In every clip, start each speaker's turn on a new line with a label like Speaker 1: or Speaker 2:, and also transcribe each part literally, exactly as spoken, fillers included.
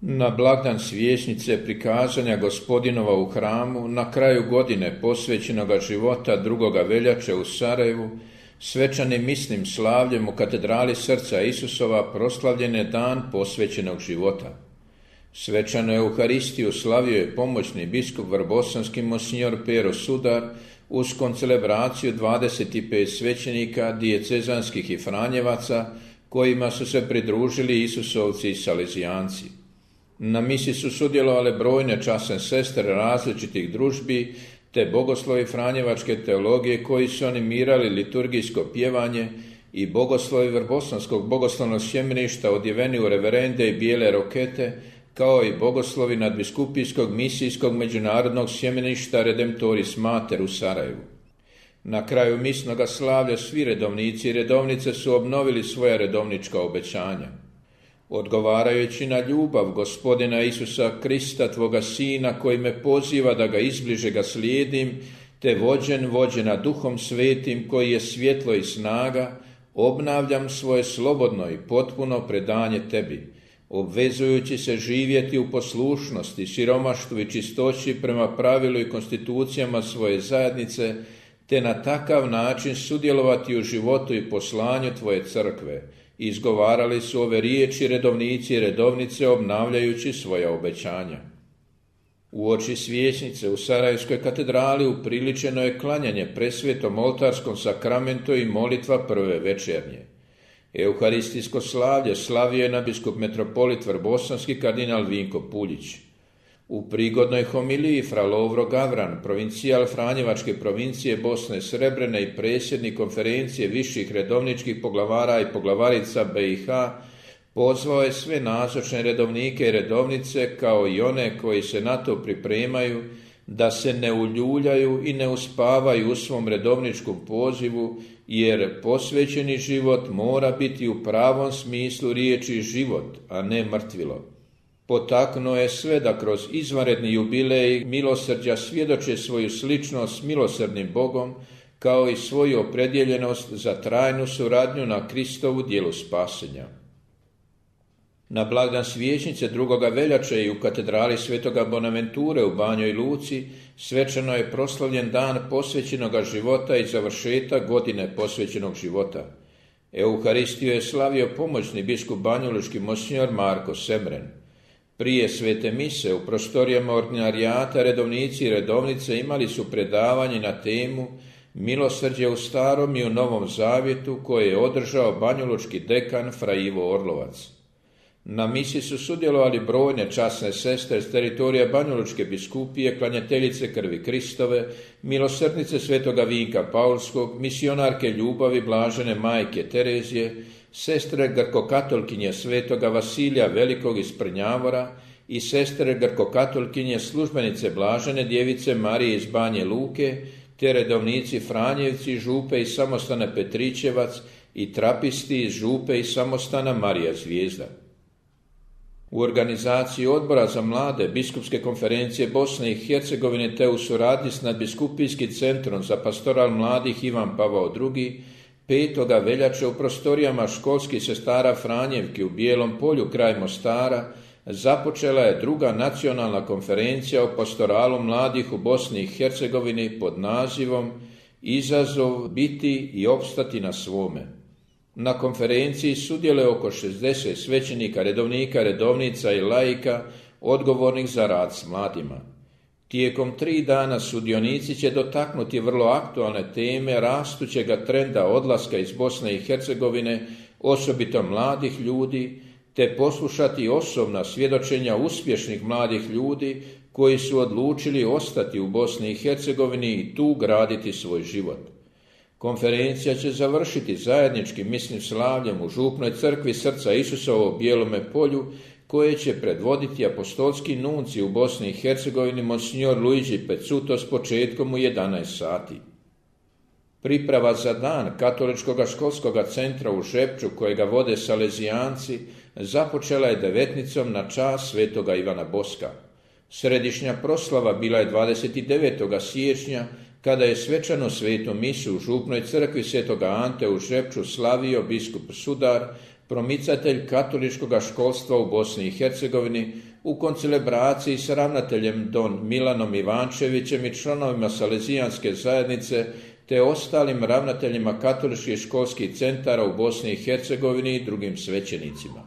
Speaker 1: Na blagdan svječnice prikazanja Gospodinova u hramu, na kraju godine posvećenoga života drugoga veljače u Sarajevu, svečanim misnim slavljem u katedrali srca Isusova proslavljen je dan posvećenog života. Svečanu Euharistiju slavio je pomoćni biskup vrbosanski monsignor Pero Sudar uz koncelebraciju dvadeset pet svećenika, dijecezanskih i franjevaca, kojima su se pridružili Isusovci i Salezijanci. Na misi su sudjelovale brojne časne sestre različitih družbi te bogoslovi franjevačke teologije koji su animirali liturgijsko pjevanje i bogoslovi vrbosanskog bogoslovnog sjemeništa odjeveni u reverende i bijele rokete, kao i bogoslovi nadbiskupijskog misijskog međunarodnog sjemeništa Redemptoris Mater u Sarajevu. Na kraju misnoga slavlja svi redovnici i redovnice su obnovili svoja redovnička obećanja. Odgovarajući na ljubav Gospodina Isusa Krista, Tvoga Sina, koji me poziva da ga izbliže ga slijedim, te vođen vođena Duhom Svetim, koji je svjetlo i snaga, obnavljam svoje slobodno i potpuno predanje Tebi, obvezujući se živjeti u poslušnosti, siromaštvu i čistoći prema pravilu i konstitucijama svoje zajednice, te na takav način sudjelovati u životu i poslanju Tvoje crkve. Izgovarali su ove riječi redovnici i redovnice obnavljajući svoja obećanja. Uoči svječnice u Sarajevskoj katedrali upriličeno je klanjanje presvetom oltarskom sakramentu i molitva prve večernje. Euharistijsko slavlje slavio je nadbiskup metropolit vrbosanski kardinal Vinko Puljić. U prigodnoj homiliji fra Lovro Gavran, provincijal Franjevačke provincije Bosne Srebrene i predsjednik konferencije viših redovničkih poglavara i poglavarica B i H, pozvao je sve nazočne redovnike i redovnice, kao i one koji se na to pripremaju, da se ne uljuljaju i ne uspavaju u svom redovničkom pozivu, jer posvećeni život mora biti u pravom smislu riječi život, a ne mrtvilo. Potaknuo je sve da kroz izvanredni jubilej milosrđa svjedoče svoju sličnost s milosrdnim Bogom, kao i svoju opredjeljenost za trajnu suradnju na Kristovu djelu spasenja. Na blagdan svječnice drugoga veljače i u katedrali Svetoga Bonaventure u Banjoj Luci svečano je proslavljen dan posvećenoga života i završetak godine posvećenog života. Euharistiju je slavio pomoćni biskup banjalučki monsignor Marko Semren. Prije svete mise u prostorijama ordinarijata redovnici i redovnice imali su predavanje na temu Milosrđe u starom i u novom zavjetu, koje je održao banjalučki dekan fra Ivo Orlovac. Na misi su sudjelovali brojne časne sestre s teritorija banjalučke biskupije, klanjateljice krvi Kristove, milosrdnice svetoga Vinka Paulskog, misionarke ljubavi blažene majke Terezije, sestre grkokatolkinje svetoga Vasilija Velikog iz Prnjavora i sestre grkokatolkinje službenice blažene djevice Marije iz Banje Luke, te redovnici Franjevci, župe i samostana Petričevac i trapisti iz župe i samostana Marija Zvijezda. U organizaciji Odbora za mlade Biskupske konferencije Bosne i Hercegovine te u suradnji s nadbiskupijskim centrom za pastoral mladih Ivan Pavao drugi, petoga veljače u prostorijama školskih sestara Franjevki u Bijelom polju kraj Mostara započela je druga nacionalna konferencija o pastoralu mladih u Bosni i Hercegovini pod nazivom Izazov biti i opstati na svome. Na konferenciji sudjeluje oko šezdeset svećenika, redovnika, redovnica i laika odgovornih za rad s mladima. Tijekom tri dana sudionici će dotaknuti vrlo aktualne teme rastućega trenda odlaska iz Bosne i Hercegovine, osobito mladih ljudi, te poslušati osobna svjedočenja uspješnih mladih ljudi koji su odlučili ostati u Bosni i Hercegovini i tu graditi svoj život. Konferencija će završiti zajedničkim misnim slavljem u župnoj crkvi srca Isusovo u Bijelome polju, koje će predvoditi apostolski nunci u Bosni i Hercegovini monsignor Luigi Pecuto s početkom u jedanaest sati. Priprava za dan katoličkog školskog centra u Žepču, kojega vode Salezijanci, započela je devetnicom na čast svetoga Ivana Boska. Središnja proslava bila je dvadeset devetog siječnja, kada je svečanu svetu misu u župnoj crkvi svetoga Ante u Žepču slavio biskup Sudar, promicatelj katoličkog školstva u Bosni i Hercegovini, u koncelebraciji s ravnateljem don Milanom Ivančevićem i članovima Salezijanske zajednice te ostalim ravnateljima katoličkih školskih centara u Bosni i Hercegovini i drugim svećenicima.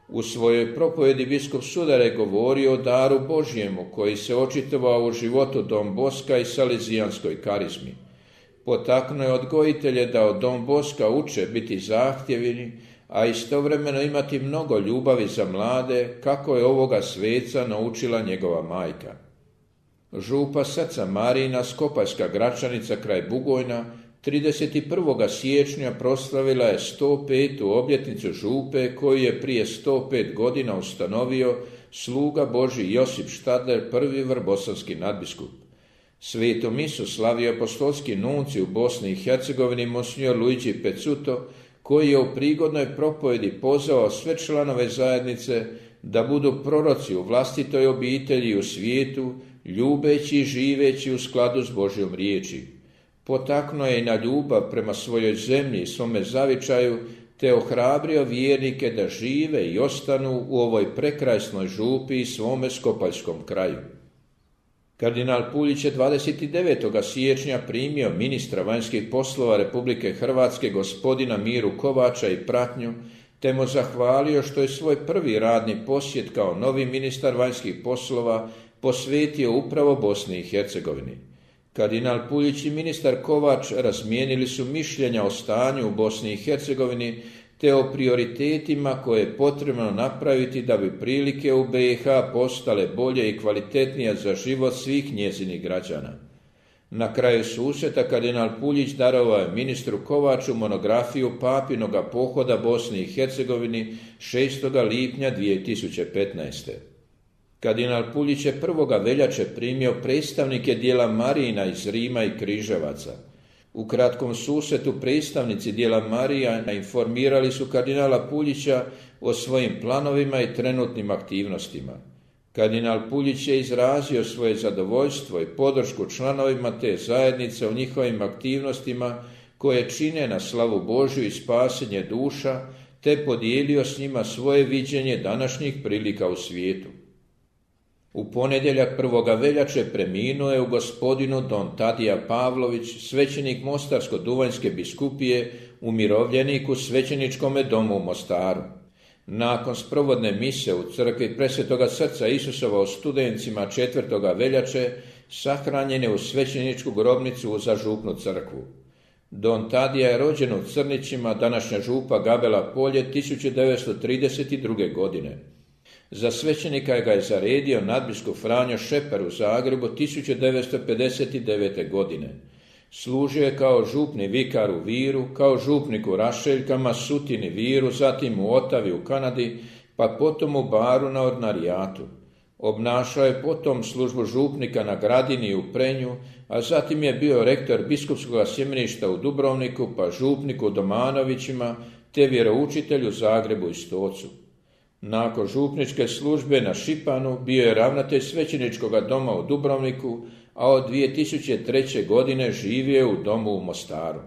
Speaker 1: U svojoj propovjedi biskup Sudar je govorio o daru Božjemu koji se očitovao u životu Don Boska i Salezijanskoj karizmi. Potaknuo je odgojitelje da od Don Boska uče biti zahtjevni, a istovremeno imati mnogo ljubavi za mlade, kako je ovoga sveca naučila njegova majka. Župa Srca Marijina, Skopaljska Gračanica kraj Bugojna, trideset prvog siječnja proslavila je sto petu obljetnicu župe koju je prije sto pet godina ustanovio sluga Božji Josip Štadler, prvi vrbosanski nadbiskup. Svetu misu slavio apostolski nunci u Bosni i Hercegovini monsignor Luigi Pezzuto, koji je u prigodnoj propovjedi pozvao sve članove zajednice da budu proroci u vlastitoj obitelji i u svijetu, ljubeći i živeći u skladu s Božjom riječi. Potaknuo je i na ljubav prema svojoj zemlji i svome zavičaju, te ohrabrio vjernike da žive i ostanu u ovoj prekrasnoj župi i svome skopaljskom kraju. Kardinal Puljić je dvadeset devetog siječnja primio ministra vanjskih poslova Republike Hrvatske gospodina Miru Kovača i pratnju, te mu zahvalio što je svoj prvi radni posjet kao novi ministar vanjskih poslova posvetio upravo Bosni i Hercegovini. Kardinal Puljić i ministar Kovač razmijenili su mišljenja o stanju u Bosni i Hercegovini te o prioritetima koje je potrebno napraviti da bi prilike u B i H postale bolje i kvalitetnije za život svih njezinih građana. Na kraju susreta kardinal Puljić darovao je ministru Kovaču monografiju papinoga pohoda Bosni i Hercegovini šestog lipnja dvije tisuće petnaeste. Kardinal Puljić je prvoga veljače primio predstavnike dijela Marijina iz Rima i Križevaca. U kratkom susretu predstavnici dijela Marijana informirali su kardinala Puljića o svojim planovima i trenutnim aktivnostima. Kardinal Puljić je izrazio svoje zadovoljstvo i podršku članovima te zajednice u njihovim aktivnostima koje čine na slavu Božju i spasenje duša, te podijelio s njima svoje viđenje današnjih prilika u svijetu. U ponedjeljak prvoga veljače preminuo je u gospodinu don Tadija Pavlović, svećenik Mostarsko-Duvanjske biskupije, umirovljenik u svećeničkome domu u Mostaru. Nakon sprovodne mise u crkvi Presvetoga Srca Isusova u Studencima četvrtoga veljače sahranjen je u svećeničku grobnicu u Župnu crkvu. Don Tadija je rođen u Crnićima, današnja župa Gabela Polje, tisuću devetsto trideset druge. godine. Za svećenika ga je zaredio nadbiskup Franjo Šeper u Zagrebu tisuću devetsto pedeset devete. godine. Služio je kao župni vikar u Viru, kao župnik u Rašeljkama, Sutini, Viru, zatim u Otavi u Kanadi, pa potom u Baru na ordinarijatu. Obnašao je potom službu župnika na Gradini i u Prenju, a zatim je bio rektor biskupskog sjemeništa u Dubrovniku, pa župnik u Domanovićima, te vjeroučitelj u Zagrebu i Stocu. Nakon župničke službe na Šipanu bio je ravnatelj svećeničkog doma u Dubrovniku, a od dvije tisuće treće. godine živio je u domu u Mostaru.